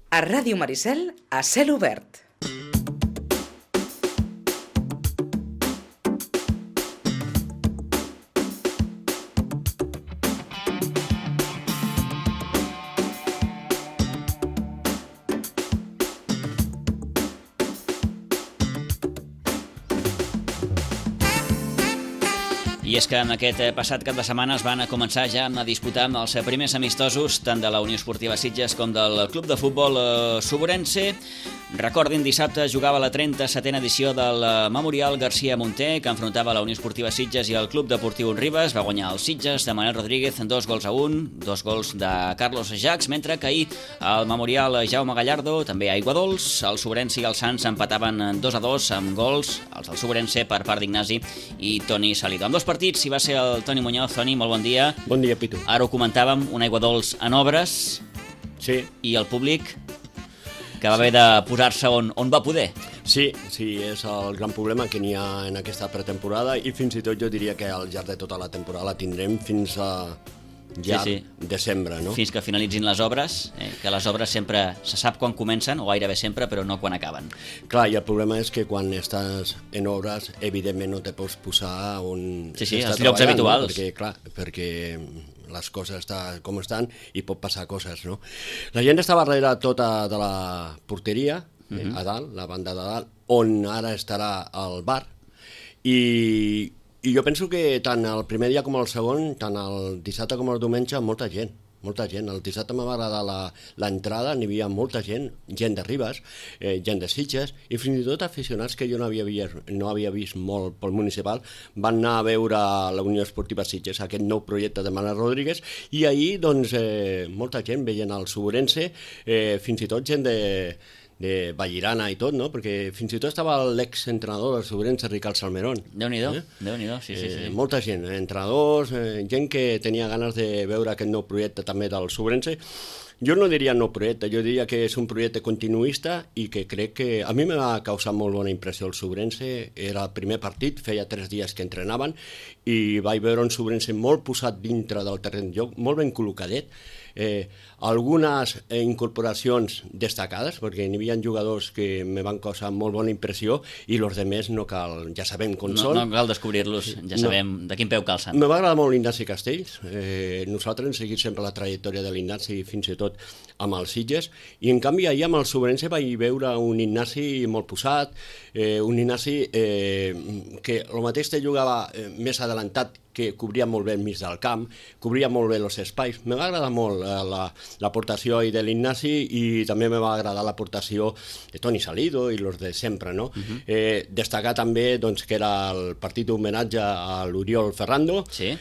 A Ràdio Maricel, a cel obert. I és que en aquest passat cap de setmana es van començar ja a disputar els primers amistosos tant de la Unió Esportiva Sitges com del Club de Futbol Soborense. Recordin, dissabte jugava la 37a edició del Memorial García Munter, que enfrontava la Unió Esportiva Sitges i el Club Deportiu Ribes. Va guanyar el Sitges de Manel Rodríguez 2-1, 2 gols de Carlos Jacs, mentre que ahir el Memorial Jaume Gallardo, també a Aiguadols, el Soborense i el Sants empataven 2-2 amb gols, els del Soborense per part d'Ignasi i Toni Salido. Amb dos partits hi va ser el Toni Muñoz. Toni, molt bon dia. Bon dia, Pitu. Ara ho comentàvem, un Aiguadols en obres. Sí. I el públic que va haver de posar-se on va poder. Sí, és el gran problema que n'hi ha en aquesta pretemporada i fins i tot jo diria que al llarg de tota la temporada la tindrem fins a desembre, no? Fins que finalitzin les obres, que les obres sempre se sap quan comencen, o gairebé sempre, però no quan acaben. Clar, i el problema és que quan estàs en obres, evidentment no te pots posar on... Sí, els llocs habituals. No? Perquè les coses estan com estan i pot passar coses, no? La gent estava darrere tota de la porteria, a dalt, la banda de dalt, on ara estarà el bar, i jo penso que tant el primer dia com el segon, tant el dissabte com el diumenge, molta gent. El dissabte m'ha agradat l'entrada, n'hi havia molta gent de Ribes, gent de Sitges, i fins i tot aficionats que jo no havia vist molt pel municipal, van anar a veure la Unió Esportiva Sitges, aquest nou projecte de Manel Rodríguez, i ahir, doncs, molta gent veient el Soborense, fins i tot gent de Vallirana i tot, no? Perquè fins i tot estava l'exentrenador del Soborense, Ricard Salmerón. Déu-n'hi-do, sí. Molta gent, entrenadors, gent que tenia ganes de veure aquest nou projecte també del Soborense. Jo no diria nou projecte, jo diria que és un projecte continuista i que crec que a mi m'ha causat molt bona impressió el Soborense. Era el primer partit, feia 3 dies que entrenaven i vaig veure un Soborense molt posat dintre del terreny de joc, molt ben col·locadet, algunes incorporacions destacades, perquè n'hi havia jugadors que me van causar molt bona impressió i els altres no cal, ja sabem com són. No cal descobrir-los, ja sabem de quin peu calcen. Me va agradar molt l'Ignasi Castells, nosaltres hem seguit sempre la trajectòria de l'Ignasi, fins i tot amb els Sitges, i en canvi ahir amb el Soborense vaig veure un Ignasi molt posat, un Ignasi que el mateix te jugava més adelantat, que cobria molt bé el mig del camp, cobria molt bé els espais. Me va agradar molt l'aportació de l'Ignasi i també me va agradar l'aportació de Toni Salido i els de sempre, no? Destacar també doncs, que era el partit d'homenatge a l'Oriol Ferrando. Sí.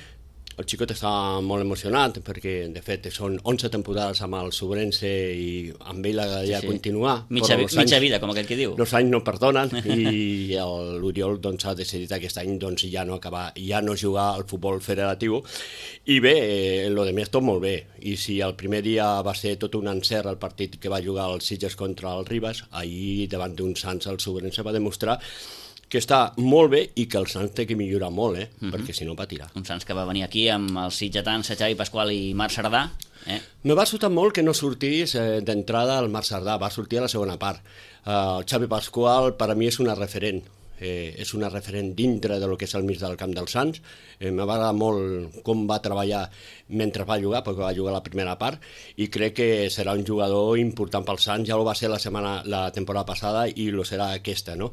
El xicot estava molt emocionat perquè, de fet, són 11 temporades amb el Soborense i amb ell agradaria continuar. Mitja vida, com aquell que diu. Els anys no perdonen i l'Oriol doncs, ha decidit aquest any doncs, ja no jugar al futbol federatiu. I bé, el de més tot molt bé. I si el primer dia va ser tot un encert el partit que va jugar el Sitges contra el Ribes, ahir davant d'un Sants el Soborense va demostrar que està molt bé i que el Sants té que millorar molt, perquè si no patirà. Un Sants que va venir aquí amb els sitgetans Xavi Pasqual i Marc Cerdà. Me va sobtar molt que no sortís d'entrada el Marc Cerdà, va sortir a la segona part. El Xavi Pasqual per a mi és una referent. És una referent dintre del que és el mig del camp dels Sants. Me va agradar molt com va treballar mentre va jugar, perquè va jugar la primera part, i crec que serà un jugador important pel Sants. Ja ho va ser la temporada passada i lo serà aquesta, no?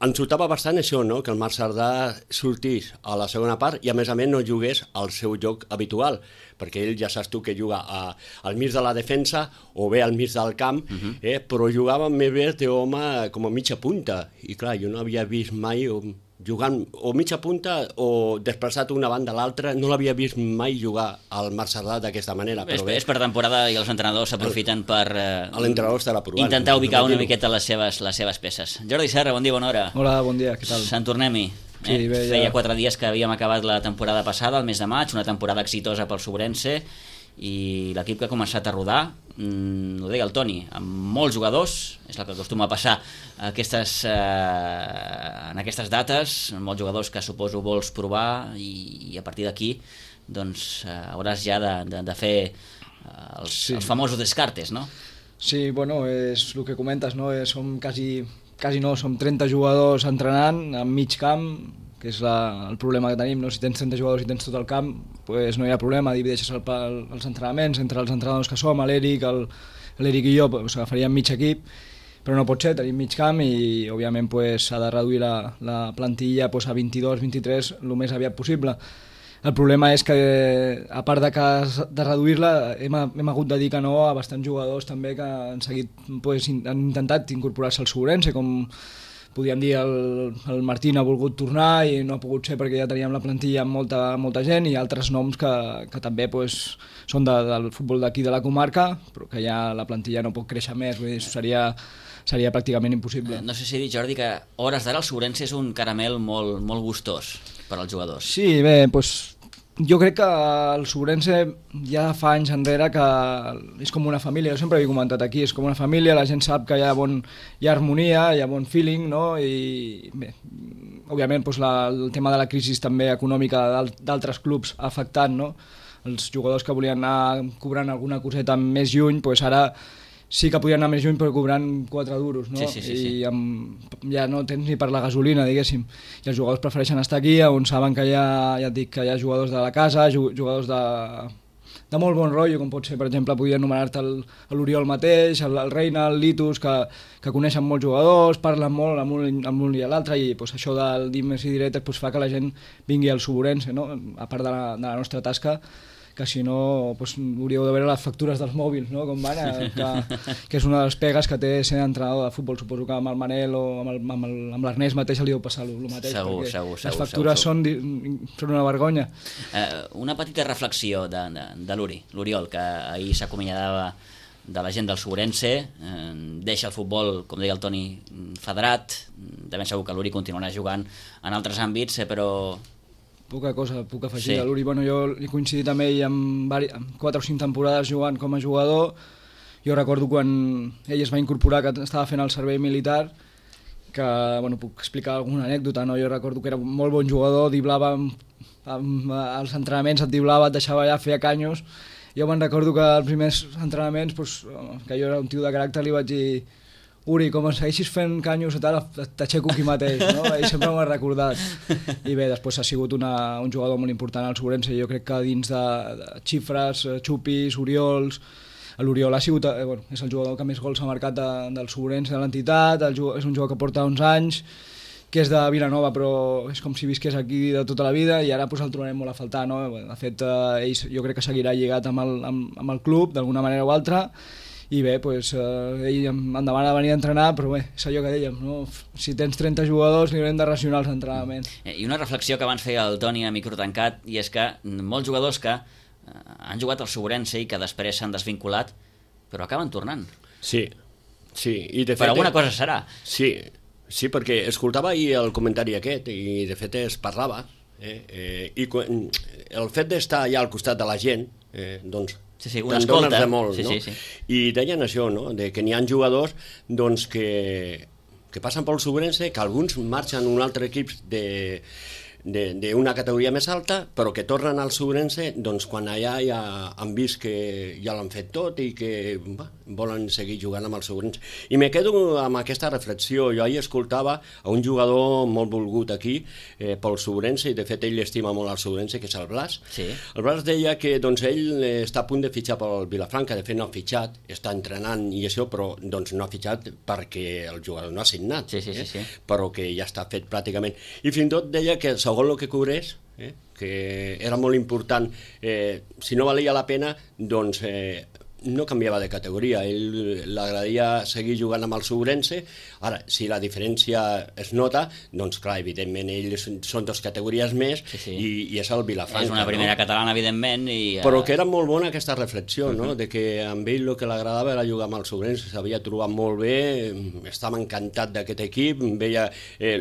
Em sortava bastant això, no? Que el Marc Cerdà sortís a la segona part i a més no jugués al seu joc habitual, perquè ell ja saps tu que juga al mig de la defensa o bé al mig del camp, però jugava més bé d'home com a mitja punta, i clar, jo no havia vist mai jugant o mitja punta o desplaçat d'una banda a l'altra, no l'havia vist mai jugar al Marc Cerdà d'aquesta manera. És per temporada i els entrenadors s'aprofiten per intentar ubicar una miqueta les seves peces. Jordi Serra, bon dia, bona hora. Hola, bon dia, què tal? Sant Tornem-hi. Sí, bé, Feia 4 dies que havíem acabat la temporada passada, el mes de maig, una temporada exitosa pel Soborense, i l'equip que ha començat a rodar, ho deia el Toni, amb molts jugadors, és el que acostuma a passar en aquestes dates, molts jugadors que suposo vols provar, i a partir d'aquí doncs hauràs ja de fer els famosos descartes, no? Sí, bueno, és el que comentes, no? Som som 30 jugadors entrenant en mig camp, que és el problema que tenim, no? Si tens 30 jugadors i tens tot el camp, pues no hi ha problema, divideixes els entrenaments entre els entrenadors que som, l'Eric i jo, pues, agafaríem mig equip, però no pot ser, tenim mig camp i òbviament s'ha de reduir la plantilla a 22-23 el més aviat possible. El problema és que, a part de reduir-la, hem hagut de dir que no a bastants jugadors també que han intentat incorporar-se al Segurense, com podríem dir el Martín ha volgut tornar i no ha pogut ser perquè ja teníem la plantilla amb molta gent, i altres noms que també són del futbol d'aquí de la comarca, però que ja la plantilla no pot créixer més, vull dir, seria pràcticament impossible. No sé si he dit, Jordi, que hores d'ara el Segurense és un caramel molt gustós per als jugadors. Sí, bé, jo crec que el Segurense ja fa anys enrere que és com una família, jo sempre ho he comentat aquí, és com una família, la gent sap que hi ha harmonia, hi ha bon feeling, no? I bé, òbviament el tema de la crisi també econòmica d'altres clubs ha afectat, no? Els jugadors que volien anar cobrant alguna coseta més lluny, ara sí que podien anar més lluny però cobrant 4 duros, no? Sí. I ja no tens ni per la gasolina, diguéssim. I els jugadors prefereixen estar aquí, on saben que ja et dic, que hi ha jugadors de la casa, jugadors de molt bon rotllo, com pot ser, per exemple, podria anomenar-te l'Oriol mateix, el Reina, el Litus, que coneixen molts jugadors, parlen molt amb un i l'altre, i això del dimes i diretes fa que la gent vingui al Segurense, no? A part de la nostra tasca, que si no hauríeu de veure les factures dels mòbils, no? Com van, que és una de les pegues que té ser entrenador de futbol. Suposo que amb el Manel o amb l'Ernest mateix li deu passar el mateix, segur, les factures són una vergonya. Una petita reflexió de l'Oriol, que ahir s'acomiadava de la gent del Segurense, deixa el futbol, com deia el Toni, federat, de ben segur que l'Uri continuarà jugant en altres àmbits, però poca cosa puc afegir de l'Uri. Bueno, jo he coincidit amb ell amb 4 o 5 temporades jugant com a jugador. Jo recordo quan ell es va incorporar, que estava fent el servei militar, que puc explicar alguna anècdota, no? Jo recordo que era un molt bon jugador, diblava als entrenaments, et diblava, et deixava allà, feia canyos. Jo me'n recordo que als primers entrenaments, que jo era un tio de caràcter, li vaig dir: Uri, com segueixis fent canyos i tal, t'aixeco aquí mateix, no? Ell sempre m'ho ha recordat. I bé, després ha sigut un jugador molt important al Segurense, jo crec que dins de xifres, xupis, oriols, l'Oriol ha sigut, és el jugador que més gols ha marcat del Segurense, de l'entitat, és un jugador que porta 11 anys, que és de Vilanova, però és com si visqués aquí de tota la vida, i ara el trobarem molt a faltar, no? De fet, ell jo crec que seguirà lligat amb el club, d'alguna manera o altra, i bé, ell em demana de venir a entrenar, però bé, és allò que dèiem, no? Si tens 30 jugadors li haurem de racionar els entrenaments. I una reflexió que abans feia el Toni a micro tancat, i és que molts jugadors que han jugat al Segurense i que després s'han desvinculat, però acaben tornant. Sí. I de fet, per alguna cosa serà. Sí, perquè escoltava ahir el comentari aquest i de fet es parlava, i el fet d'estar allà al costat de la gent, doncs Sí, una escolta. De molt, no? Sí. I deien això, no? De que n'hi ha jugadors doncs, que passen pel Segurense, que alguns marxen a un altre equip d'una categoria més alta, però que tornen al Segurense doncs, quan allà ja han vist que ja l'han fet tot i que volen seguir jugant amb el Segurense. I me quedo amb aquesta reflexió. Jo ahir escoltava a un jugador molt volgut aquí pel Segurense, i de fet ell estima molt el Segurense, que és el Blas. Sí. El Blas deia que doncs, ell està a punt de fitxar pel Vilafranca, de fet no ha fitxat, està entrenant i això, però doncs, no ha fitxat perquè el jugador no ha signat, sí. Però que ja està fet pràcticament. I fins i tot deia que segons el que cobrés, que era molt important, si no valia la pena, doncs no canviava de categoria, ell l'agradaria seguir jugant amb el Segurense. Ara, si la diferència es nota, doncs clar, evidentment ells són 2 categories més, i és el Vilafranca. És una primera catalana, evidentment. Però que era molt bona aquesta reflexió, no? De que amb ell el que l'agradava era jugar amb el Segurense, s'havia trobat molt bé, estava encantat d'aquest equip, veia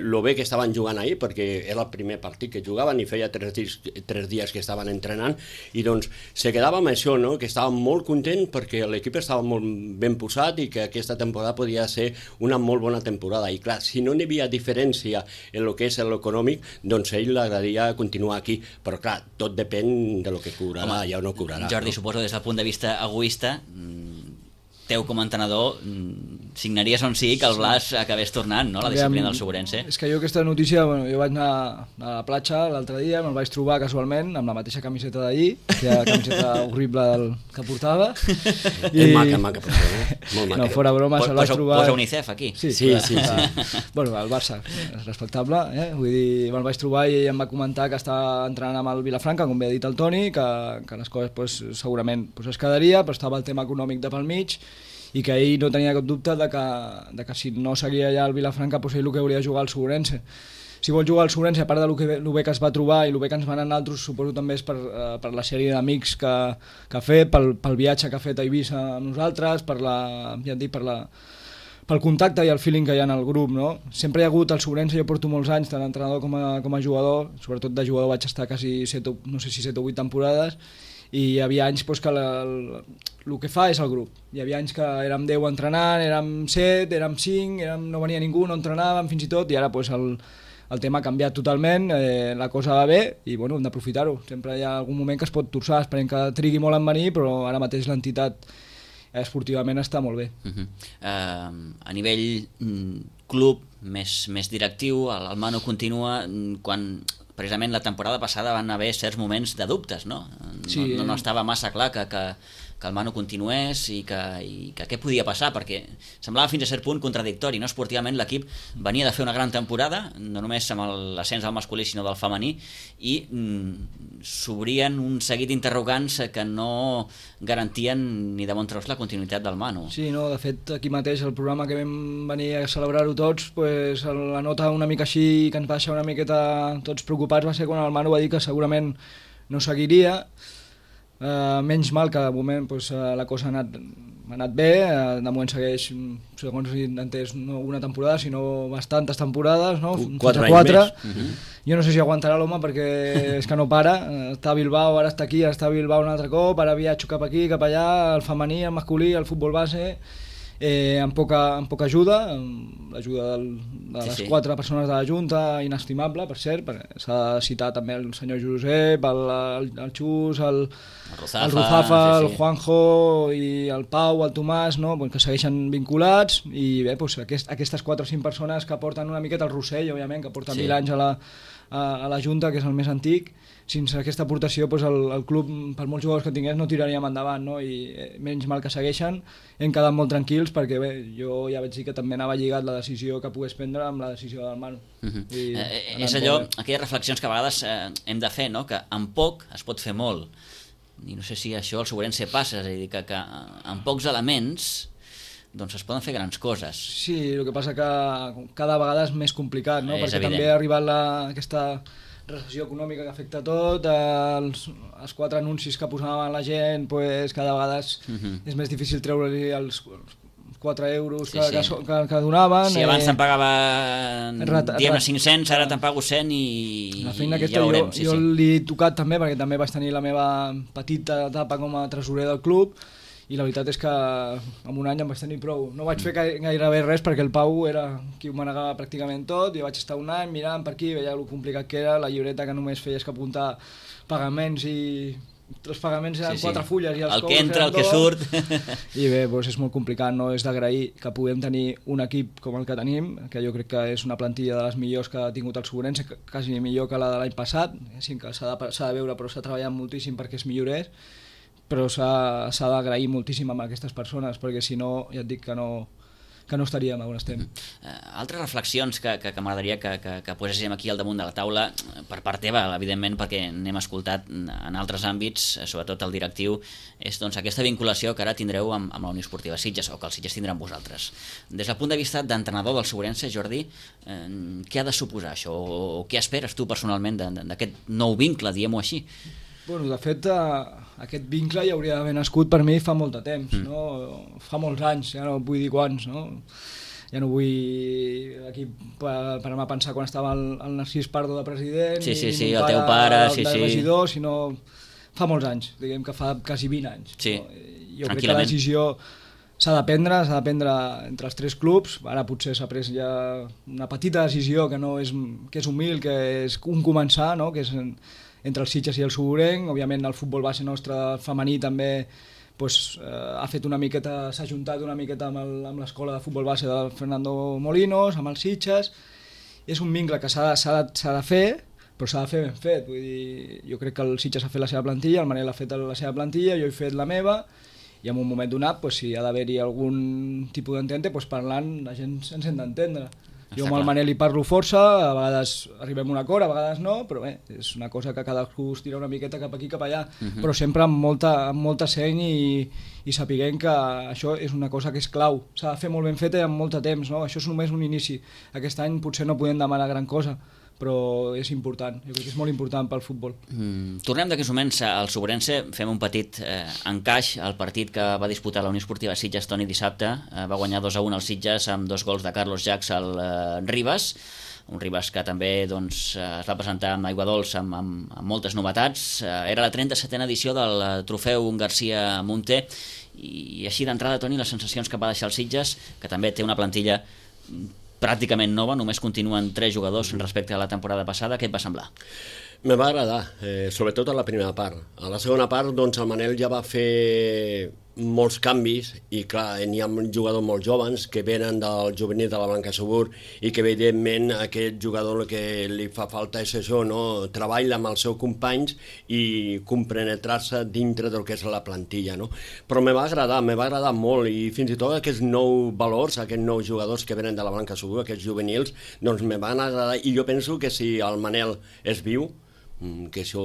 lo bé que estaven jugant ahir, perquè era el primer partit que jugaven i feia 3 dies que estaven entrenant, i doncs se quedava amb això, no? Que estava molt content perquè l'equip estava molt ben posat i que aquesta temporada podia ser una molt bona temporada. I clar, si no n'hi havia diferència en el que és l'econòmic, doncs ell l'agradaria continuar aquí. Però clar, tot depèn de lo que cobrarà, ja o no cobrarà. Jordi, suposo des del punt de vista egoista, teu com a entrenador signaries on sigui que el Blas acabés tornant, no?, la disciplina del Sobrense. És que jo aquesta notícia, jo vaig anar a la platja l'altre dia, me'l vaig trobar casualment amb la mateixa camiseta d'ahir, aquella camiseta horrible que portava. És maca, molt maca. No, fora broma, se'l vaig trobar... Posa UNICEF aquí. Sí. Bueno, el Barça, és respectable, vull dir, me'l vaig trobar i em va comentar que està entrenant amb el Vilafranca, com bé ha dit el Toni, que les coses pues, segurament pues, es quedaria, però estava el tema econòmic de pel mig i que ell no tenia cap dubte de que si no seguia ja el Vilafranca pues, ell el que hauria de jugar al Sobrense. Si vol jugar al Sobrense, a part de lo bé que es va trobar i lo bé que ens van anar altres, suposo també és per la sèrie d'amics que ha fet, pel viatge que ha fet a Eivissa amb nosaltres, pel contacte i el feeling que hi ha en el grup, no? Sempre hi ha hagut el Sobrense, jo porto molts anys tant d'entrenador com a jugador, sobretot de jugador vaig estar quasi 7 o 8 temporades, i hi havia anys pues, que el que fa és el grup. Hi havia anys que érem 10 entrenant, érem 7, érem 5, no venia ningú, no entrenàvem fins i tot, i ara pues, el tema ha canviat totalment, la cosa va bé i bueno, hem d'aprofitar-ho. Sempre hi ha algun moment que es pot torçar, esperem que trigui molt en venir, però ara mateix l'entitat esportivament està molt bé. A nivell club més directiu, el Manu continua quan precisament la temporada passada van haver certs moments de dubtes, no? Sí, no estava massa clar que el Manu continués i que què podia passar, perquè semblava fins a cert punt contradictori, no? Esportivament l'equip venia de fer una gran temporada, no només amb l'ascens del masculí sinó del femení, i s'obrien un seguit d'interrogants que no garantien ni de bon tros la continuïtat del Manu. Sí, no, de fet aquí mateix el programa que vam venir a celebrar-ho tots, pues, la nota una mica així que ens va deixar una miqueta tots preocupats va ser quan el Manu va dir que segurament no seguiria. Menys mal que de moment pues, la cosa ha anat bé, de moment segueix, segons he entès, no una temporada, sinó bastantes temporades, no? 4 anys més. Jo no sé si aguantarà l'home perquè és que no para, està a Bilbao, ara està aquí, ara està a Bilbao un altre cop, ara viatjo cap aquí, cap allà, el femení, el masculí, el futbol base, amb poca ajuda, amb l'ajuda de les 4 persones de la Junta, inestimable, per cert, s'ha de citar també el senyor Josep, el Xus, el Ruzafa, el Juanjo i el Pau, el Tomàs, no? Que segueixen vinculats i bé, doncs, aquestes 4 o 5 persones que porten una miqueta el Rossell, òbviament, que porta 1000 anys a la Junta, que és el més antic. Sense aquesta aportació doncs el club, per molts jugadors que tingués, no tiraríem endavant, no? I menys mal que segueixen, hem quedat molt tranquils perquè bé, jo ja vaig dir que també anava lligat la decisió que pogués prendre amb la decisió del Manu. És allò, aquelles reflexions que a vegades hem de fer, no? Que amb poc es pot fer molt, i no sé si això al Sobrense passa, és a dir, que amb pocs elements doncs es poden fer grans coses. Sí, el que passa que cada vegada és més complicat, no? Perquè evident. També ha arribat aquesta recessió econòmica que afecta tot, els 4 anuncis que posaven la gent, pues, cada vegada és més difícil treure-li els 4 euros que donaven. Si abans te'n pagaven 500, ara te'n pago 100 i la feina aquesta ja veurem. Jo l'he tocat també, perquè també vaig tenir la meva petita etapa com a tresorer del club, i la veritat és que en un any em vaig tenir prou. No vaig fer gairebé res perquè el Pau era qui ho manegava pràcticament tot. Jo vaig estar un any mirant per aquí, veia el complicat que era, la llibreta que només feies que apuntar pagaments i els pagaments eren 4 fulles i els el que entra, el que surt. I bé, doncs és molt complicat, no? És d'agrair que puguem tenir un equip com el que tenim, que jo crec que és una plantilla de les millors que ha tingut el Sobrense, quasi millor que la de l'any passat, sí que s'ha de veure, però s'ha treballat moltíssim perquè es millorés, però s'ha d'agrair moltíssim amb aquestes persones, perquè si no, ja et dic que no estaríem on estem. Altres reflexions que m'agradaria que poséssim aquí al damunt de la taula, per part teva, evidentment, perquè n'hem escoltat en altres àmbits, sobretot el directiu, és doncs, aquesta vinculació que ara tindreu amb la Unió Esportiva Sitges, o que el Sitges tindrà amb vosaltres. Des del punt de vista d'entrenador del Sobrense, Jordi, què ha de suposar això, o què esperes tu personalment d'aquest nou vincle, diguem-ho així? Bueno, de fet, aquest vincle ja hauria d'haver nascut per mi fa molt de temps, no? Fa molts anys, ja no vull dir quants, no? Ja no vull aquí per anar a pensar quan estava el Narcís Pardo de president, ni el teu pare, de regidor, sinó fa molts anys, diguem que fa quasi 20 anys. Sí, jo crec que la decisió s'ha de prendre entre els 3 clubs. Ara potser s'ha pres ja una petita decisió que és humil, que és un començar, no? Que és entre els Sitges i el Sobrenc. Òbviament el futbol base nostre femení també ha fet una miqueta, s'ha juntat una miqueta amb l'escola de futbol base de Fernando Molinos, amb els Sitges. És un vincle que s'ha de fer, però s'ha de fer ben fet. Vull dir, jo crec que el Sitges ha fet la seva plantilla, el Manel ha fet la seva plantilla, jo he fet la meva, i en un moment donat, si ha d'haver-hi algun tipus d'entente, parlant la gent ens hem d'entendre. Jo amb el Manel hi parlo força, a vegades arribem a un acord, a vegades no, però bé, és una cosa que cadascú es tira una miqueta cap aquí, cap allà, però sempre amb molta seny i sapiguem que això és una cosa que és clau. S'ha de fer molt ben feta i amb molt de temps, no? Això és només un inici. Aquest any potser no podem demanar gran cosa, però és important, jo crec que és molt important pel futbol. Tornem d'aquests moments al Sobrense, fem un petit encaix al partit que va disputar la Unió Esportiva Sitges Toni dissabte. Va guanyar 2-1 al Sitges amb 2 gols de Carlos Jax al Ribas, un Ribas que també es va presentar amb aigua dolç amb moltes novetats. Era la 37a edició del trofeu García Munté, i així d'entrada, Toni, les sensacions que va deixar el Sitges, que també té una plantilla pràcticament nova, només continuen 3 jugadors respecte a la temporada passada. Què et va semblar? Me va agradar, sobretot a la primera part. A la segona part, doncs, el Manel ja va fer molts canvis i, clar, n'hi ha jugadors molt joves que venen del juvenil de la Blanca Subur i que, evidentment, aquest jugador el que li fa falta és això, no? Treballa amb els seus companys i compenetrar-se dintre del que és la plantilla, no? Però me va agradar molt, i fins i tot aquests nous valors, aquests nous jugadors que venen de la Blanca Subur, aquests juvenils, doncs me van agradar, i jo penso que si el Manel és viu, que això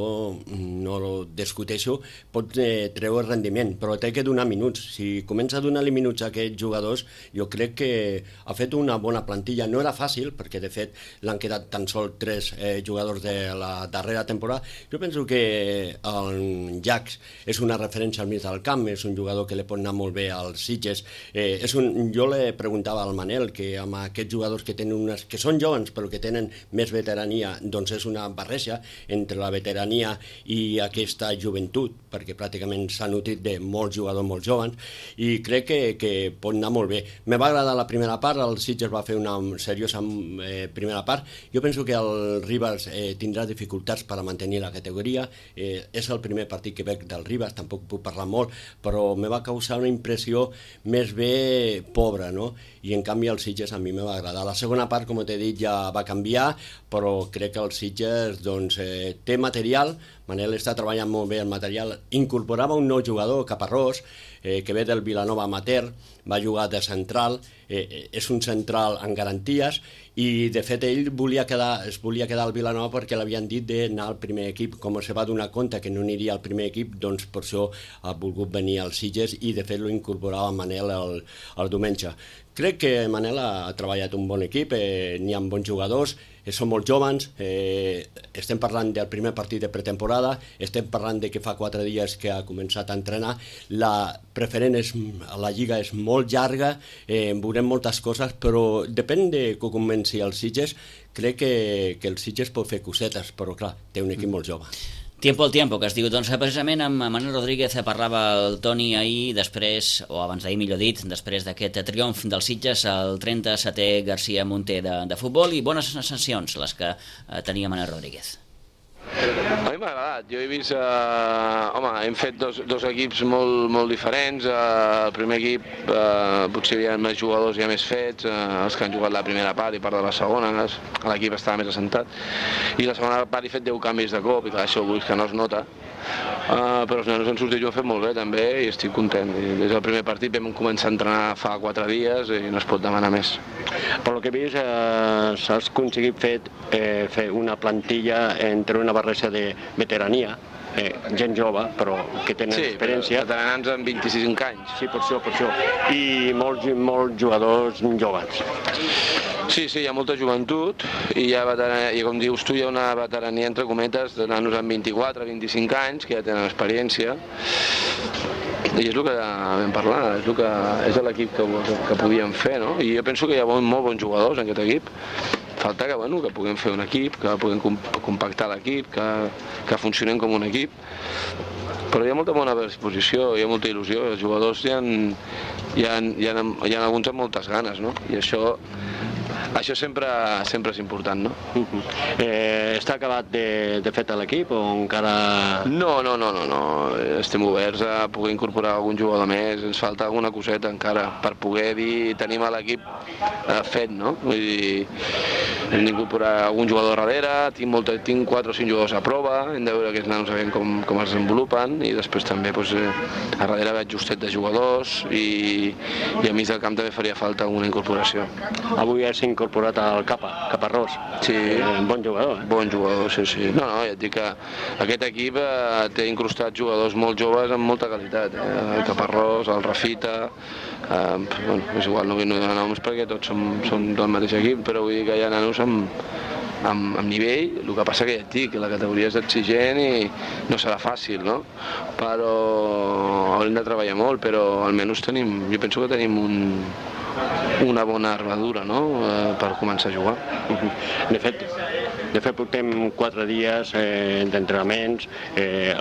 no ho discuteixo, pot treure rendiment, però té que donar minuts. Si comença a donar-li minuts a aquests jugadors, jo crec que ha fet una bona plantilla. No era fàcil, perquè de fet l'han quedat tan sols 3 jugadors de la darrera temporada. Jo penso que el Jax és una referència al mig del camp, és un jugador que li pot anar molt bé als Sitges. Jo li preguntava al Manel que amb aquests jugadors que són joves però que tenen més veterania, doncs és una barreja entre la veterania i aquesta joventut, perquè pràcticament s'ha nutrit de molts jugadors molt joves, i crec que pot anar molt bé. Me va agradar la primera part, el Sitges va fer una seriosa primera part. Jo penso que el Ribas tindrà dificultats per a mantenir la categoria. És el primer partit que veig del Ribas, tampoc puc parlar molt, però me va causar una impressió més bé pobra, no? I en canvi el Sitges a mi me va agradar. La segona part, com t'he dit, ja va canviar, però crec que el Sitges té material. Manel està treballant molt bé el material. Incorporava un nou jugador, Caparrós, que ve del Vilanova Amateur, va jugar de central, és un central en garanties, i de fet ell es volia quedar al Vilanova perquè l'havien dit d'anar al primer equip. Com se va donar compte que no aniria al primer equip, doncs per això ha volgut venir als Sitges, i de fet lo incorporava Manel el diumenge. Crec que Manel ha treballat un bon equip, n'hi ha bons jugadors, són molt joves, estem parlant del primer partit de pretemporada, estem parlant de que fa 4 dies que ha començat a entrenar. La preferent la lliga és molt llarga, veurem moltes coses, però depèn de que comenci el Sitges. Crec que el Sitges pot fer cosetes, però clar, té un equip molt jove. Tiempo al tiempo, que es diu. Doncs precisament amb Manel Rodríguez parlava el Toni ahir, després, o abans d'ahir millor dit, després d'aquest triomf del Sitges, el 37è García Munté de futbol, i bones sensacions les que tenia Manel Rodríguez. A mi m'ha agradat. Jo he vist... hem fet dos equips molt diferents. El primer equip potser hi havia més jugadors ja més fets, els que han jugat la primera part i part de la segona, l'equip estava més assentat. I la segona part he fet 10 canvis de cop, i clar, això vull que no es nota. Però els nanos han sortit i ho han fet molt bé també, i estic content. Des del primer partit vam començar a entrenar fa 4 dies i no es pot demanar més. Per lo que he vist, s'ha aconseguit fer una plantilla entre una barreja de veterania, gent jove, però que tenen experiència. Sí, veteranans amb 25 anys. Sí, per això. I molts jugadors joves. Sí, hi ha molta joventut, i com dius tu, hi ha una veterania, entre cometes, de nanos amb 24-25 anys, que ja tenen experiència. I és el que vam parlar, és l'equip que podíem fer, no? I jo penso que hi ha molt bons jugadors en aquest equip. Falta que puguem fer un equip, que puguem compactar l'equip, que funcionem com un equip. Però hi ha molta bona disposició, hi ha molta il·lusió. Els jugadors hi ha alguns amb moltes ganes, no? I això Això sempre és important, no? Està acabat de fet l'equip o encara... No. Estem oberts a poder incorporar algun jugador més. Ens falta alguna coseta encara per poder dir tenim l'equip fet, no? Vull dir, hem d'incorporar algun jugador darrere, tinc 4 o 5 jugadors a prova, hem de veure aquests nanos sabem com es desenvolupen, i després també a darrere veig justet de jugadors i a mig del camp també faria falta alguna incorporació. Avui has incorporat el Caparrós. Sí. Bon jugador, Bon jugador, sí. No, ja et dic que aquest equip té incrustat jugadors molt joves amb molta qualitat. El Caparrós, el Rafita, és igual, no vull donar noms perquè tots som del mateix equip, però vull dir que hi ha nanos amb nivell. El que passa que ja et dic que la categoria és exigent i no serà fàcil, no? Però haurem de treballar molt, però almenys jo penso que tenim una bona armadura, no?, per començar a jugar. De fet portem 4 dies d'entrenaments,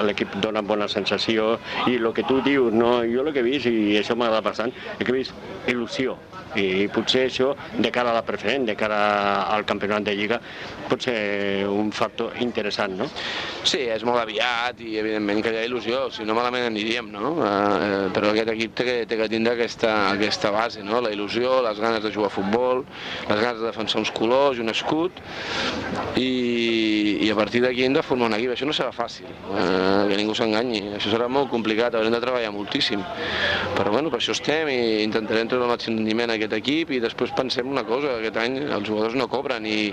l'equip dona bona sensació i el que tu dius, no, jo el que he vist, i això m'agrada bastant, és que he vist il·lusió, i potser això de cara a la preferent, de cara al campionat de Lliga, pot ser un factor interessant, no? Sí, és molt aviat i evidentment que hi ha il·lusió, si no malament aniríem, no? Però aquest equip té que tindre aquesta base, no? La il·lusió, les ganes de jugar a futbol, les ganes de defensar uns colors i un escut, i a partir d'aquí hem de formar un equip. Això no serà fàcil, que ningú s'enganyi, això serà molt complicat, haurem de treballar moltíssim, però bueno, per això estem i intentarem treure el màxim rendiment a aquest equip, i després pensem una cosa, aquest any els jugadors no cobren i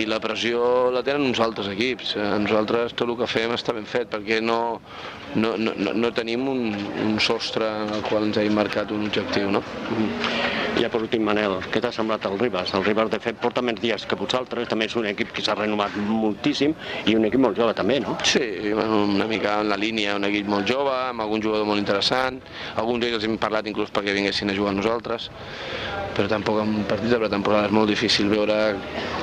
la pressió la tenen uns altres equips. Nosaltres tot el que fem està ben fet perquè no tenim un sostre en el qual ens hem marcat un objectiu, no? Ja per últim, Manel, què t'ha semblat el Ribas? El Ribas, de fet, porta més dies que vosaltres, també és un equip que s'ha renovat moltíssim i un equip molt jove també, no? Sí, una mica en la línia, un equip molt jove, amb algun jugador molt interessant, alguns d'ells hem parlat inclús perquè vinguessin a jugar amb nosaltres, però tampoc en partits de pretemporada és molt difícil veure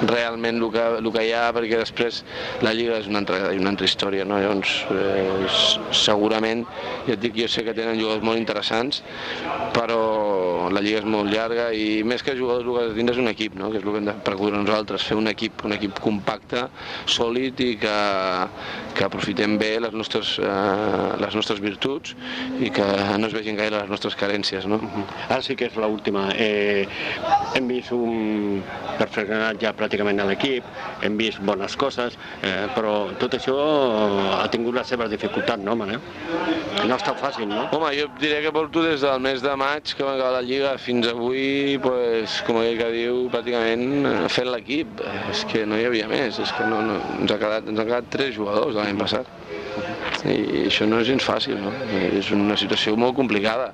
realment el que hi ha, perquè després la Lliga és una altra història, no? Llavors, segurament, ja et dic, jo sé que tenen jugadors molt interessants, però la Lliga és molt llarga i més que jugadors el que has de tindre és un equip, no? Que és el que hem de procurar nosaltres, fer un equip compacte, sòlid i que aprofitem bé les nostres virtuts i que no es vegin gaire les nostres carències, no? Ara sí que és l'última. Hem vist un perfeccionat ja pràcticament a l'equip, hem vist bones coses, però tot això ha tingut les seves dificultats, no, Manel? No ha estat fàcil, no? Home, jo diré que porto des del mes de maig que va acabar la Lliga fins avui, com aquell que diu, pràcticament fent l'equip. És que no hi havia més, és que ens han quedat 3 jugadors l'any passat. I això no és gens fàcil, no? És una situació molt complicada.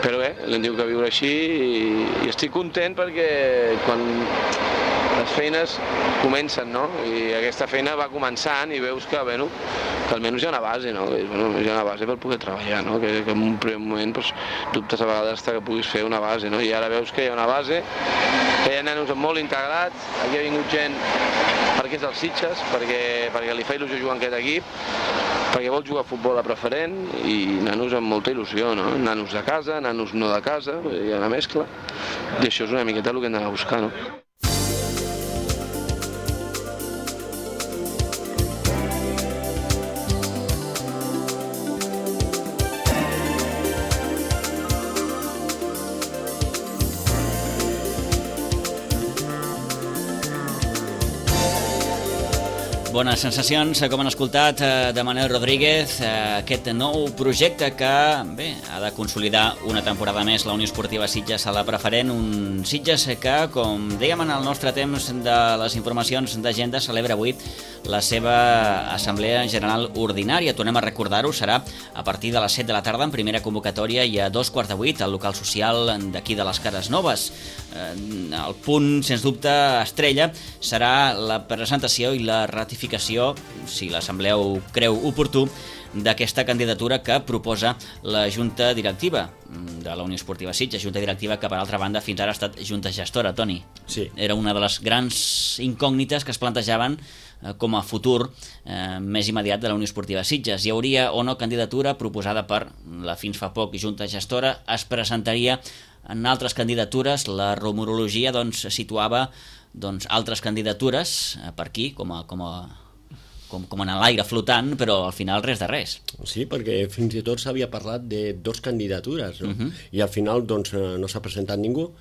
Però bé, l'hem tingut que viure així i estic content perquè quan les feines comencen, no? I aquesta feina va començant i veus que almenys hi ha una base, no? Hi ha una base per poder treballar, no? Que en un primer moment dubtes a vegades que puguis fer una base, no? I ara veus que hi ha una base, que hi ha nanos molt integrats, aquí ha vingut gent perquè és dels Sitges, perquè li fa il·lusió jugar en aquest equip, perquè vol jugar a futbol a preferent i nanos amb molta il·lusió, no? Nanos de casa, nanos no de casa, hi ha una mescla, i això és una miqueta el que hem d'anar a buscar, no? Bones sensacions, com han escoltat de Manel Rodríguez, aquest nou projecte que ha de consolidar una temporada més la Unió Esportiva Sitges a la preferent, un Sitges que, com dèiem en el nostre temps de les informacions d'agenda, celebra avui la seva Assemblea General Ordinària. Tornem a recordar-ho, serà a partir de les 7 de la tarda en primera convocatòria i a 2:15 al local social d'aquí de les Cares Noves. El punt, sens dubte, estrella serà la presentació i la ratificació, si l'Assemblea ho creu oportú, d'aquesta candidatura que proposa la Junta Directiva de la Unió Esportiva Sitges, Junta Directiva que, per altra banda, fins ara ha estat Junta Gestora. Toni, sí. Era una de les grans incògnites que es plantejaven com a futur més immediat de la Unió Esportiva Sitges. Hi hauria o no candidatura proposada per la fins fa poc Junta Gestora, es presentaria en altres candidatures. La rumorologia doncs, situava altres candidatures per aquí, com en l'aire flotant, però al final res de res. Sí, perquè fins i tot s'havia parlat de 2 candidatures, no? I al final doncs, no s'ha presentat ningú,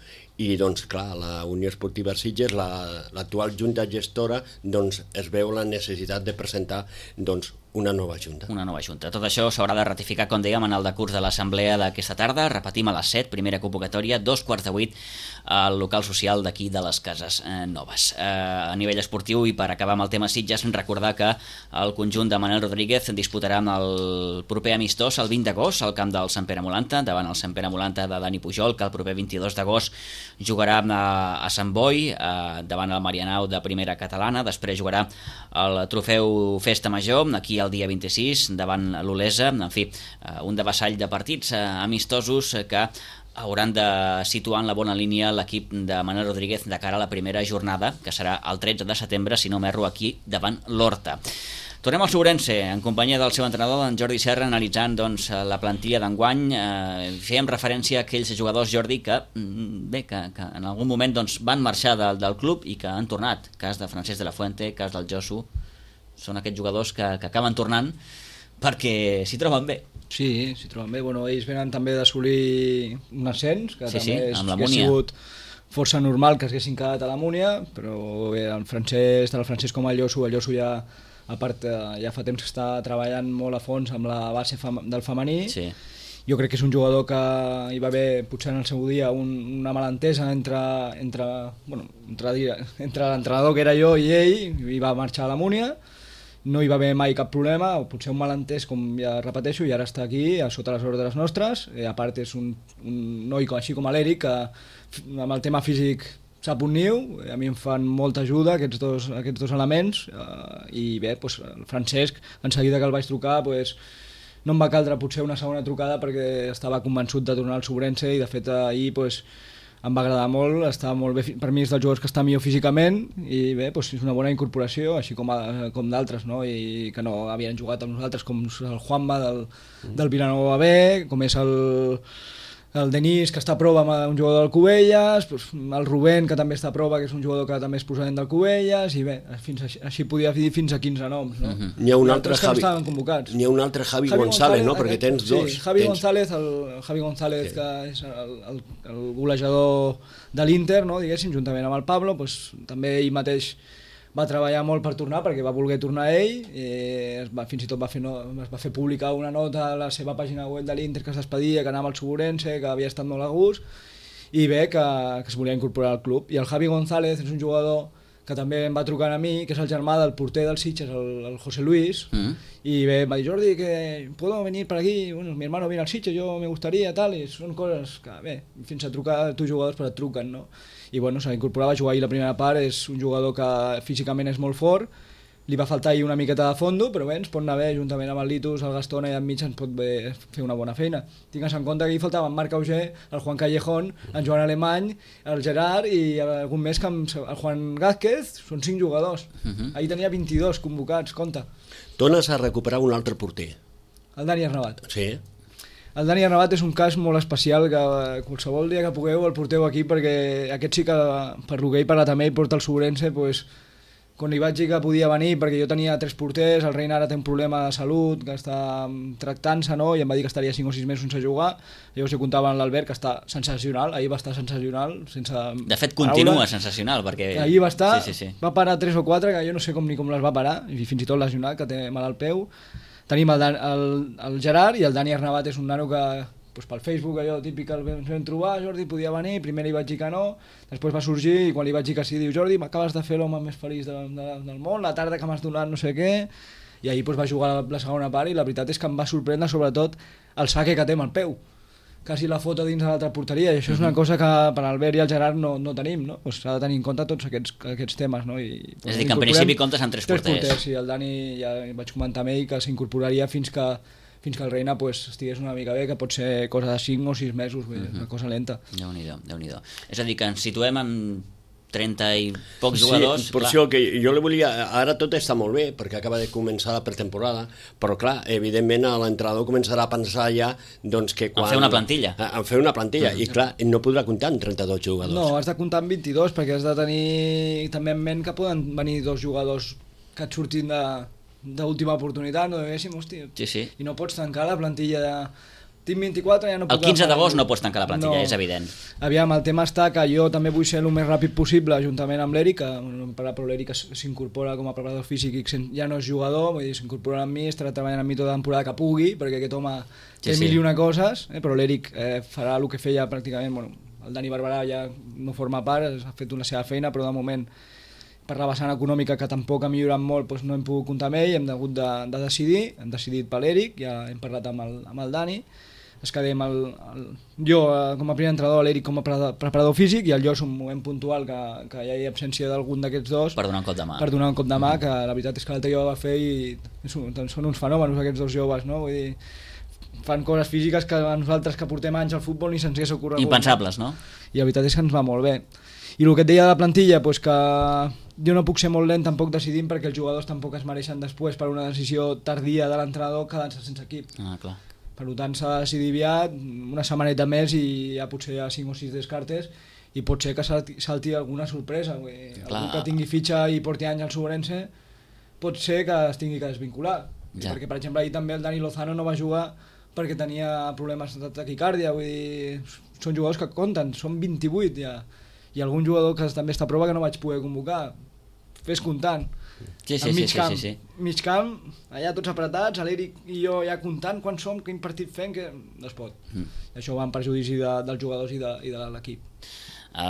i doncs clar, la Unió Esportiva Sitges, l'actual junta gestora, doncs es veu la necessitat de presentar doncs una nova junta. Una nova junta. Tot això s'haurà de ratificar, com dèiem, en el decurs de l'assemblea d'aquesta tarda. Repetim, a les 7, primera convocatòria, 2:15 al local social d'aquí de les Cases Noves. A nivell esportiu, i per acabar amb el tema Sitges, recordar que el conjunt de Manel Rodríguez disputarà el proper amistós el 20 d'agost al camp del Sant Pere Molanta, davant el Sant Pere Molanta de Dani Pujol, que el proper 22 d'agost jugarà a Sant Boi, davant el Marianao de primera catalana. Després jugarà el trofeu Festa Major, aquí el dia 26, davant l'Olesa. En fi, un devassall de partits amistosos que hauran de situar en la bona línia l'equip de Manel Rodríguez de cara a la primera jornada, que serà el 13 de setembre, si no m'erro, aquí davant l'Horta. Tornem al Sobrense, en companyia del seu entrenador, en Jordi Serra, analitzant doncs, la plantilla d'enguany. Fèiem referència a aquells jugadors, Jordi, que en algun moment doncs, van marxar del club i que han tornat. Cas de Francesc de la Fuente, cas del Josu. Són aquests jugadors que acaben tornant perquè s'hi troben bé. Sí, s'hi troben bé. Bueno, ells venen també d'assolir un ascens, que també ha sigut força normal que s'haguessin quedat a la Múnia, però bé, tant el Francesc com el Josu ja, a part, ja fa temps que està treballant molt a fons amb la base del femení. Sí. Jo crec que és un jugador que hi va haver potser en el seu dia una malentesa entre l'entrenador que era jo i ell, i va marxar a la Múnia. No hi va haver mai cap problema, o potser un malentès, com ja repeteixo, i ara està aquí, a sota les ordres nostres. A part és un noi així com l'Eric, que amb el tema físic sap un niu. A mi em fan molta ajuda aquests dos elements, i bé, doncs, el Francesc, en seguida que el vaig trucar, doncs, no em va caldre potser una segona trucada perquè estava convençut de tornar al Sobrense, i de fet ahir doncs, em va agradar molt, està molt bé, per mi és dels jugadors que està millor físicament, i bé, doncs és una bona incorporació, així com d'altres, no? I que no havien jugat amb nosaltres, com el Juanma del Vilanova B, com és el Denis, que està a prova amb un jugador del Cubelles, doncs el Rubén, que també està a prova, que és un jugador que també és procedent del Cubelles, i bé, així podia dir fins a 15 noms, no? N'hi ha un altre Javi González, no? Perquè tens dos. Sí, Javi González, que és el golejador de l'Inter, no? Diguéssim, juntament amb el Pablo, doncs, també ell mateix va treballar molt per tornar, perquè va voler tornar ell, fins i tot es va fer publicar una nota a la seva pàgina web de l'Inter, que es despedia, que anava al Sobrense, que havia estat molt a gust, i bé, que es volia incorporar al club. I el Javi González és un jugador que també em va trucar a mi, que és el germà del porter del Sitges, el José Luis, y me dijo, Jordi, que puedo venir para aquí, bueno, mi hermano viene al Sitges, yo me gustaría, tal, i són coses que, bé, fins a trucar tu jugadors, però et truquen, no? I bueno, s'ha incorporat a jugar ahir la primera part, és un jugador que físicament és molt fort, li va faltar ahir una miqueta de fondo, però bé, ens pot anar bé, juntament amb el Litus, el Gastón, i enmig ens pot bé fer una bona feina. Tingues en compte que hi faltaven Marc Auger, el Juan Callejón, en Joan Alemany, el Gerard i algun més que el Juan Gázquez, són 5 jugadors. Ahir tenia 22 convocats, compte. Tornes a recuperar un altre porter. El Dani Arnabat. Sí. El Dani Arnabat és un cas molt especial, que qualsevol dia que pugueu el porteu aquí, perquè aquest sí que, per lo que he parlat amb ell, porta el Sobrense, doncs, quan li vaig dir que podia venir, perquè jo tenia 3 porters, el Reina ara té un problema de salut, que està tractant-se, no? I em va dir que estaria 5 o 6 mesos sense jugar. Llavors jo comptava amb l'Albert, que està sensacional, ahir va estar sensacional, sense de fet, continua sensacional, perquè ahir va estar, sí. Va parar 3 o 4, que jo no sé com les va parar, i fins i tot lesionat, que té mal al peu. Tenim el Gerard, i el Dani Arnabat és un nano que, doncs, pel Facebook, allò típic que el vam trobar, Jordi podia venir, primer li vaig dir que no, després va sorgir, i quan li vaig dir que sí, diu, Jordi, m'acabes de fer l'home més feliç del món, la tarda que m'has donat no sé què, i ahir doncs, va jugar la segona part, i la veritat és que em va sorprendre sobretot el saque que té amb el peu, quasi la foto dins de l'altra porteria, i això és una cosa que per l'Albert i el Gerard no tenim, no? Pues s'ha de tenir en compte tots aquests temes, no? És a dir, que en principi comptes amb 3 porters. Sí, el Dani ja vaig comentar amb ell que s'incorporaria fins que el Reina pues, estigués una mica bé, que pot ser cosa de 5 o 6 mesos, una cosa lenta. Déu-n'hi-do. És a dir, que ens situem en 30 i pocs jugadors... Sí, per això que jo li volia... Ara tot està molt bé, perquè acaba de començar la pretemporada, però clar, evidentment l'entrenador començarà a pensar ja doncs, que quan... En fer una plantilla. En fer una plantilla, i clar, no podrà comptar amb 32 jugadors. No, has de comptar amb 22, perquè has de tenir també en ment que poden venir 2 jugadors que et surtin d'última oportunitat, no diguéssim, hòstia. Sí. I no pots tancar la plantilla de... Tinc 24, ja no puc... El 15 d'agost no pots tancar la plantilla, és evident. Aviam, el tema està que jo també vull ser el més ràpid possible, juntament amb l'Eric, que no hem parlat, però l'Eric s'incorpora com a preparador físic i ja no és jugador, vull dir, s'incorpora amb mi, estarà treballant amb mi tota la temporada que pugui, perquè aquest home té mil i una coses, però l'Eric farà el que feia pràcticament, bueno, el Dani Barberà ja no forma part, ha fet una seva feina, però de moment per la vessant econòmica, que tampoc ha millorat molt, doncs no hem pogut comptar amb ell, hem hagut de decidir, hem decidit per l'Eric, ja hem parlat amb el Dani, es quedem jo com a primer entrenador, l'Eric com a preparador físic, i el Jos un moment puntual que hi ha absència d'algun d'aquests dos per donar un cop de mà. Per donar un cop de mà, que la veritat és que l'altre jo va fer i són uns fenòmenos aquests dos joves, no? Vull dir, fan coses físiques que a nosaltres que portem anys al futbol ni se'ns hagués ocorregut. Impensables, no? I la veritat és que ens va molt bé. I el que et deia de la plantilla, doncs que jo no puc ser molt lent tampoc decidint, perquè els jugadors tampoc es mereixen després per una decisió tardia de l'entrenador quedar-se sense equip. Ah, clar. Per tant s'ha de decidir aviat, una setmaneta més i ja potser hi ha 5 o 6 descartes, i pot ser que salti alguna sorpresa. Algú que tingui fitxa i porti anys al Sobrense pot ser que es tingui que desvincular. Ja. Perquè per exemple ahir també el Dani Lozano no va jugar perquè tenia problemes de taquicàrdia, vull dir, són jugadors que compten, són 28 ja, i algun jugador que també està a prova que no vaig poder convocar, fes comptant. Sí. Mig camp, allà tots apretats, l'Eric i jo ja comptant quan som, quin partit fem, que no es pot. Això va en perjudici dels jugadors i de l'equip.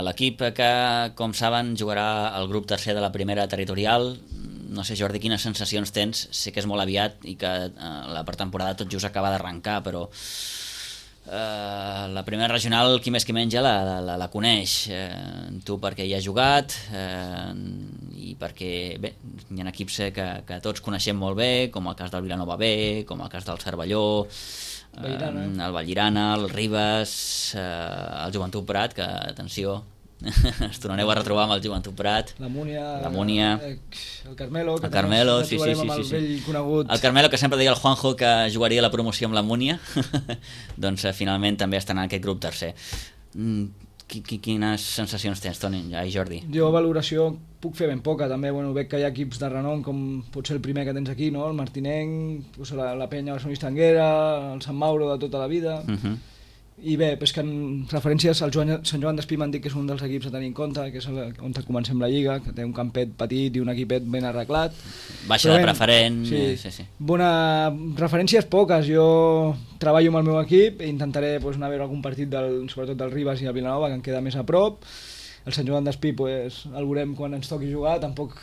L'equip que, com saben, jugarà al grup tercer de la primera territorial. No sé, Jordi, quines sensacions tens? Sé que és molt aviat i que la pretemporada tot just acaba d'arrencar, però la primera regional, qui més qui menys la coneix. Tu perquè hi has jugat i perquè bé, hi ha equips que tots coneixem molt bé, com el cas del Vilanova B, com el cas del Cervelló, el Vallirana, el Ribes, el Joventut Prat, que atenció, ens tornareu a retrobar amb el Joventut Prat, la Múnia, el Carmelo, que el Carmelo, sí. El Carmelo, que sempre deia el Juanjo que jugaria la promoció amb la Múnia, doncs finalment també estan en aquest grup tercer. Quines sensacions tens, Toni? Jordi? Jo valoració puc fer ben poca, també veig que hi ha equips de renom, com pot ser el primer que tens aquí, no? El Martinenc, la Penya Barcelonista Anguera, el Sant Mauro de tota la vida. I bé, és que en referències al Sant Joan d'Espí m'han dit que és un dels equips a tenir en compte, que és on comencem la Lliga, que té un campet petit i un equipet ben arreglat. Baixa de preferent. Sí. Referències poques. Jo treballo amb el meu equip i intentaré anar a veure algun partit sobretot del Ribes i el Vilanova, que em queda més a prop. El Sant Joan d'Espí el veurem quan ens toqui jugar. Tampoc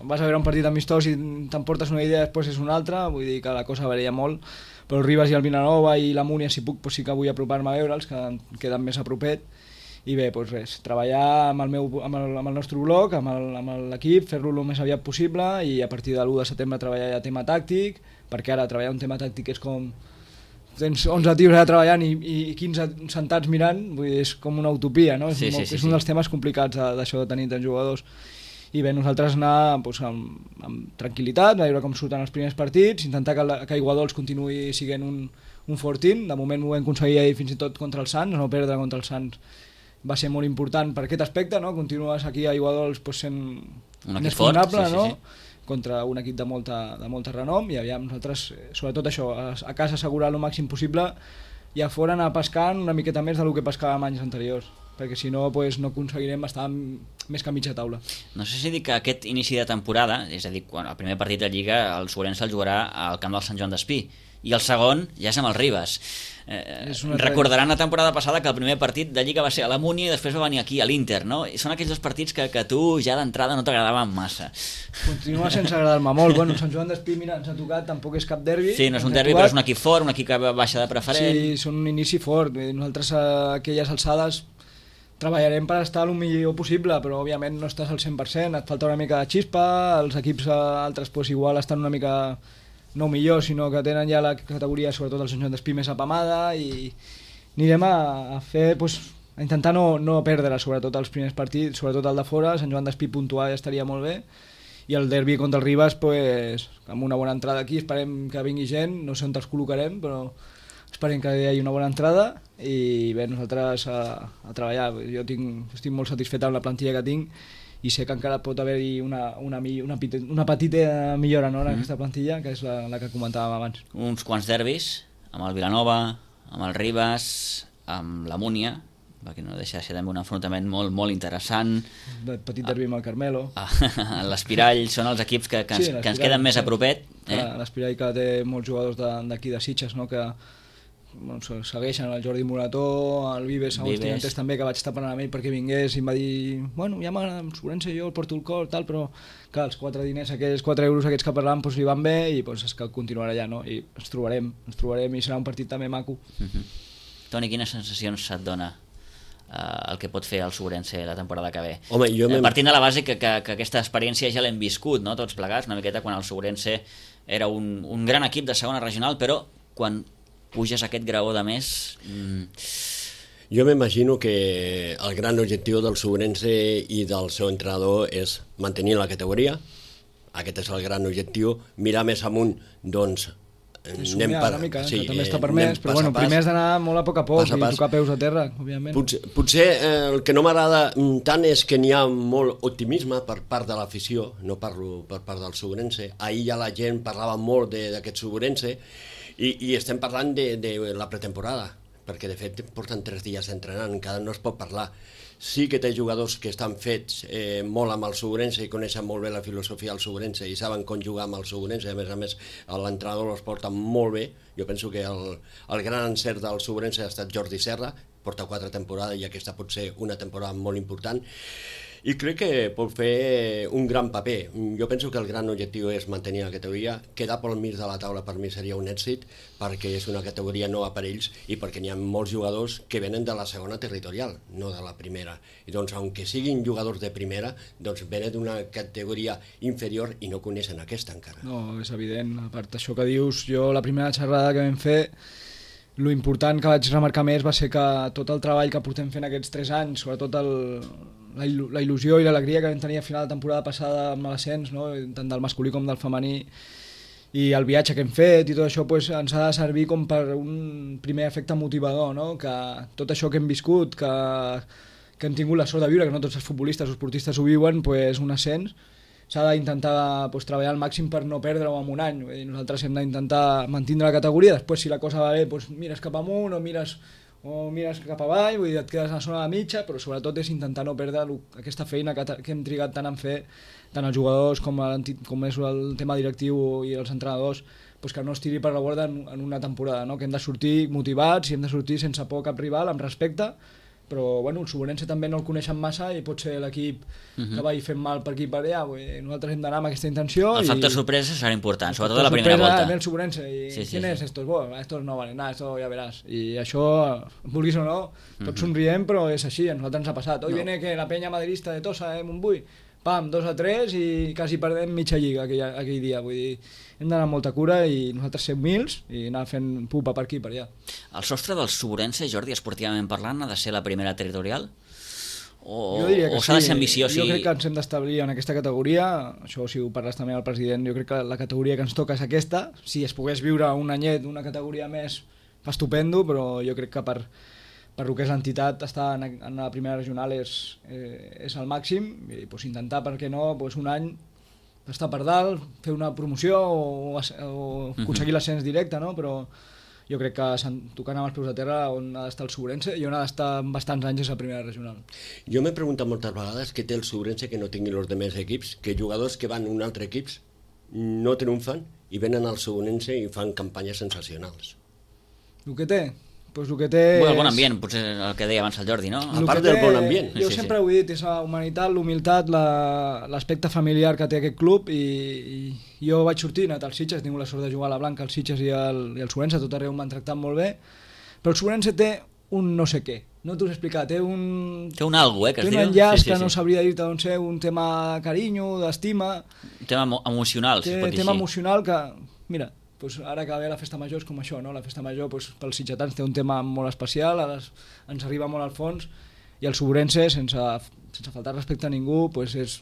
vas a veure un partit amistós i t'emportes una idea, després és una altra, vull dir que la cosa varia molt. Però el Ribes i el Vilanova i la Múnia, si puc, sí que vull apropar-me a veure'ls, que em queden més a propet. I bé, res, treballar amb el nostre bloc, amb l'equip, fer-lo el més aviat possible i a partir de l'1 de setembre treballar ja tema tàctic, perquè ara treballar un tema tàctic és com... Tens 11 tios allà treballant i 15 sentats mirant, vull dir, és com una utopia, no? És un dels temes complicats d'això de tenir tants jugadors. I bé, nosaltres anar amb tranquil·litat, a veure com surten els primers partits, intentar que Aiguadols continuï sent un fortín. De moment ho vam aconseguir ahir fins i tot contra el Sants, no perdre contra el Sants va ser molt important per aquest aspecte, no? Continues aquí a Aiguadols sent més vulnerable, no? Contra un equip de molta renom, i aviam nosaltres, sobretot això, a casa assegurar el màxim possible i a fora anar pescant una miqueta més del que pescàvem anys anteriors, perquè si no no aconseguirem estar més que a mitja taula. No sé si dic que aquest inici de temporada, és a dir, quan el primer partit de Lliga el Sobrense el jugarà al camp del Sant Joan d'Espí i el segon ja és amb el Ribes. Recordaran la temporada passada que el primer partit de Lliga va ser a la Múnia i després va venir aquí a l'Inter, no? I són aquells dos partits que tu ja d'entrada no t'agradaven massa. Continua sense agradar-me molt. Bueno, Sant Joan d'Espí, mira, ens ha tocat, tampoc és cap derbi. Sí, no és un derbi, però és un equip fort, un equip que baixa de preferent. Sí, són un inici fort. Nosaltres a aquelles alçades treballarem per estar el millor possible, però òbviament no estàs al 100%, et falta una mica de xispa, els equips altres igual estan una mica no millor, sinó que tenen ja la categoria, sobretot el Sant Joan d'Espí, més apamada, i anirem a fer intentar no perdre, sobretot els primers partits, sobretot el de fora, Sant Joan d'Espí puntuar ja estaria molt bé, i el derbi contra el Ribas, pues, amb una bona entrada aquí, esperem que vingui gent, no sé on els col·locarem, però esperem que hi hagi una bona entrada, i bé, nosaltres a treballar. Jo estic molt satisfet amb la plantilla que tinc, i sé que encara pot haver-hi una petita millora, no, en aquesta plantilla, que és la que comentàvem abans. Uns quants derbis, amb el Vilanova, amb el Ribas, amb la Múnia, perquè no deixa de ser també un enfrontament molt, molt interessant. Petit derbi amb el Carmelo. L'Espirall són els equips que ens queden més a propet. L'Espirall que té molts jugadors d'aquí de Sitges, no, que segueixen el Jordi Morató, el Vives Agustinantes també, que vaig estar parlant amb ell perquè vingués i em va dir, bueno, ja m'agrada amb Sobrense, jo el porto el cor, tal, però clar, els 4 euros aquests que parlàvem doncs, li van bé i doncs, és que continuarà allà, no? I ens trobarem i serà un partit també maco. Toni, quines sensacions et dona el que pot fer el Sobrense la temporada que ve? Home, partint de la base que aquesta experiència ja l'hem viscut, no? Tots plegats, una miqueta quan el Sobrense era un gran equip de segona regional, però quan puges aquest graó de més... Jo m'imagino que el gran objectiu del Sobrense i del seu entrenador és mantenir la categoria. Aquest és el gran objectiu. Mirar més amunt, doncs... Somiar una mica, que també està permès, però bueno, primer has d'anar molt a poc a poc i tocar peus a terra, òbviament. Potser el que no m'agrada tant és que n'hi ha molt optimisme per part de l'afició, no parlo per part del Sobrense. Ahir ja la gent parlava molt d'aquest Sobrense, i estem parlant de la pretemporada, perquè de fet porten 3 dies entrenant, encara no es pot parlar. Sí que té jugadors que estan fets molt amb el Sobrense i coneixen molt bé la filosofia del Sobrense i saben com jugar amb el Sobrense, a més l'entrenador els porta molt bé. Jo penso que el gran encert del Sobrense ha estat Jordi Serra, porta 4 temporades i aquesta pot ser una temporada molt important, i crec que pot fer un gran paper. Jo penso que el gran objectiu és mantenir la categoria. Quedar pel mig de la taula per mi seria un èxit, perquè és una categoria nova per ells i perquè n'hi ha molts jugadors que venen de la segona territorial, no de la primera. I doncs, aunque siguin jugadors de primera, doncs venen d'una categoria inferior i no coneixen aquesta encara. No, és evident. A part d'això que dius, jo la primera xerrada que vam fer, lo important que vaig remarcar més va ser que tot el treball que portem fent aquests 3 anys, sobretot la il·lusió i l'alegria que vam tenir a final de temporada passada amb l'ascens, no? Tant del masculí com del femení, i el viatge que hem fet i tot això pues, ens ha de servir com per un primer efecte motivador, no? Que tot això que hem viscut, que hem tingut la sort de viure, que no tots els futbolistes o esportistes ho viuen, pues, un ascens, s'ha d'intentar pues, treballar al màxim per no perdre-ho en un any. Nosaltres hem d'intentar mantenir la categoria, després si la cosa va bé pues, mires cap amunt o mires cap avall, vull dir, et quedes a la zona de mitja, però sobretot és intentar no perdre aquesta feina que hem trigat tant en fer, tant els jugadors com és el tema directiu i els entrenadors, pues que no es tiri per la borda en una temporada, no? Que hem de sortir motivats i hem de sortir sense por a cap rival, amb respecte, però bueno, el Sobrense també no el coneixen massa i pot ser l'equip que vagi fent mal per aquí i per allà. Nosaltres hem d'anar amb aquesta intenció. El factor sorpresa serà important, sobretot a la primera volta. El Sobrense, ¿quién es estos? Bueno, estos no valen nada, esto ya verás. I això, vulguis o no, tots somriem, però és així, a nosaltres ens ha passat. Hoy viene que la penya madridista de Tossa, Montbui, pam, 2-3 i quasi perdem mitja lliga aquell dia. Vull dir, hem d'anar amb molta cura i nosaltres ser humils i anar fent pupa per aquí i per allà. El sostre del Sobrense, Jordi, esportivament parlant, ha de ser la primera territorial? O s'ha de ser ambiciós? Jo crec que ens hem d'establir en aquesta categoria, això si ho parles també al president, jo crec que la categoria que ens toca és aquesta. Si es pogués viure un anyet una categoria més, fa estupendo, però jo crec que per el que és l'entitat, estar en la primera regional és el màxim, i pues, intentar, per què no, pues, un any estar per dalt, fer una promoció o aconseguir l'ascens directe, no? Però jo crec que tocant amb els peus a terra on ha d'estar el Sobrense i on ha d'estar bastants anys és la primera regional. Jo m'he preguntat moltes vegades què té el Sobrense que no tingui els demés equips, que jugadors que van a un altre equip no triomfen i venen al Sobrense i fan campanyes sensacionals. El que té? Pues el que té el bon ambient, potser el que deia abans el Jordi, no? A part del bon ambient. Jo sempre ho he dit, és la humanitat, l'humilitat, l'aspecte familiar que té aquest club, i jo vaig sortir, he anat als Sitges, he tingut la sort de jugar a la Blanca, als Sitges i al Sobrense, tot arreu m'han tractat molt bé, però el Sobrense té un no sé què, no t'ho he explicat, té un algo, que es diu. Té un enllaç que no sabria dir-te d'on ser, un tema carinyo, d'estima. Un tema emocional, si es pot dir tema així. emocional que, mira, doncs ara que ve la festa major és com això, no? La festa major doncs, pels sitgetans té un tema molt especial, ens arriba molt al fons, i el Suburense, sense faltar respecte a ningú, doncs és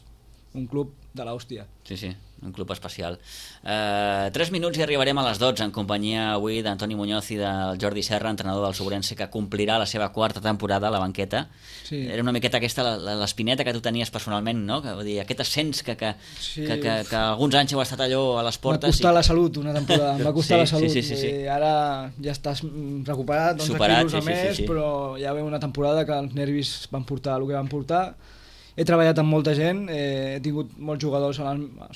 un club de l'hòstia. Sí, un club especial. 3 minuts i arribarem a les 12 en companyia avui d'Antoni Muñoz i del Jordi Serra, entrenador del Suburense, que complirà la seva 4ª temporada a la banqueta. Sí. Era una miqueta aquesta l'espineta que tu tenies personalment, no? Que, vull dir, aquest ascens que alguns anys heu estat allò a les portes. M'ha costat la salut una temporada, em va costar la salut. Sí. Ara ja estàs recuperat, 11 quilos a més, però ja ve una temporada que els nervis van portar el que van portar. He treballat amb molta gent, he tingut molts jugadors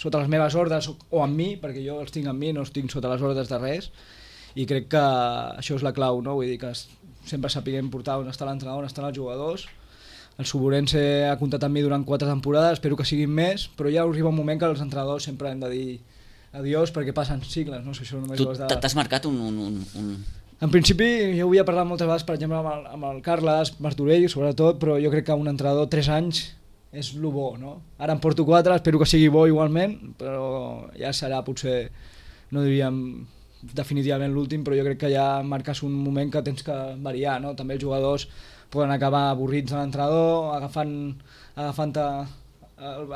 sota les meves ordres o amb mi, perquè jo els tinc amb mi, no els tinc sota les ordres de res, i crec que això és la clau, no? Vull dir que sempre sapiguem portar on està l'entrenador, on estan els jugadors. El Suburense ha comptat amb mi durant 4 temporades, espero que siguin més, però ja arriba un moment que els entrenadors sempre hem de dir adiós perquè passen cicles, no? Això només tu t'has marcat un... En principi jo havia parlat moltes vegades, per exemple, amb el Carles Martorell, sobretot, però jo crec que un entrenador 3 anys és el bo, no? Ara en porto 4, espero que sigui bo igualment, però ja serà potser, no diríem definitivament l'últim, però jo crec que ja marques un moment que tens que variar, no? També els jugadors poden acabar avorrits de l'entrenador, agafant-te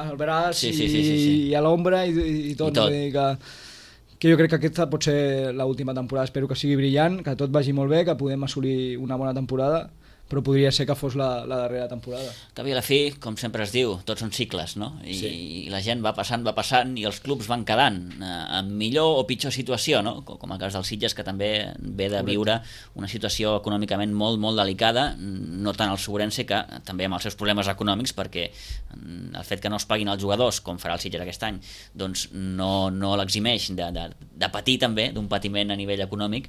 el braç i a l'ombra i tot. Vull dir que jo crec que aquesta pot ser l'última temporada, espero que sigui brillant, que tot vagi molt bé, que podem assolir una bona temporada, però podria ser que fos la darrera temporada. Que a la fi, com sempre es diu, tots són cicles, no? I la gent va passant i els clubs van quedant en millor o pitjor situació, no? Com el cas dels Sitges, que també ve de viure una situació econòmicament molt, molt delicada, no tant el Suburense, que també amb els seus problemes econòmics, perquè el fet que no es paguin els jugadors, com farà el Sitges aquest any, doncs no l'eximeix de patir també, d'un patiment a nivell econòmic.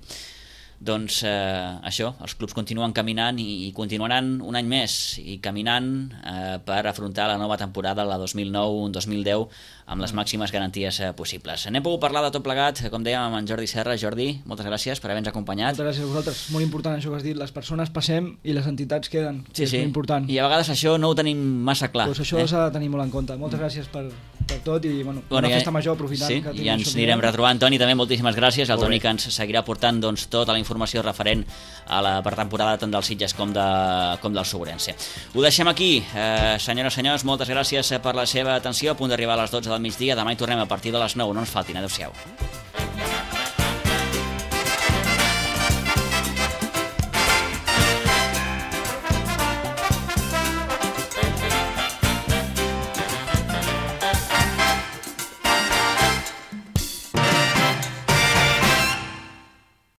Doncs això, els clubs continuen caminant i continuaran un any més i caminant per afrontar la nova temporada, la 2009-2010, amb les màximes garanties possibles. N'hem pogut parlar de tot plegat, com dèiem, amb en Jordi Serra. Jordi, moltes gràcies per haver-nos acompanyat. Moltes gràcies a vosaltres, molt important això que has dit, les persones passem i les entitats queden, és molt important. I a vegades això no ho tenim massa clar. Doncs això s'ha de tenir molt en compte. Moltes gràcies per tot i una festa major, aprofitant que i ens anirem retrobant. Toni, també moltíssimes gràcies. El Toni que ens seguirà portant tota la informació referent a la pretemporada tant dels Sitges com del Suburense. Ho deixem aquí. Senyores, senyors, moltes gràcies per la seva atenció. A punt d'arribar a les 12 del migdia. Demà hi tornem a partir de les 9. No ens faltin. Adéu-siau.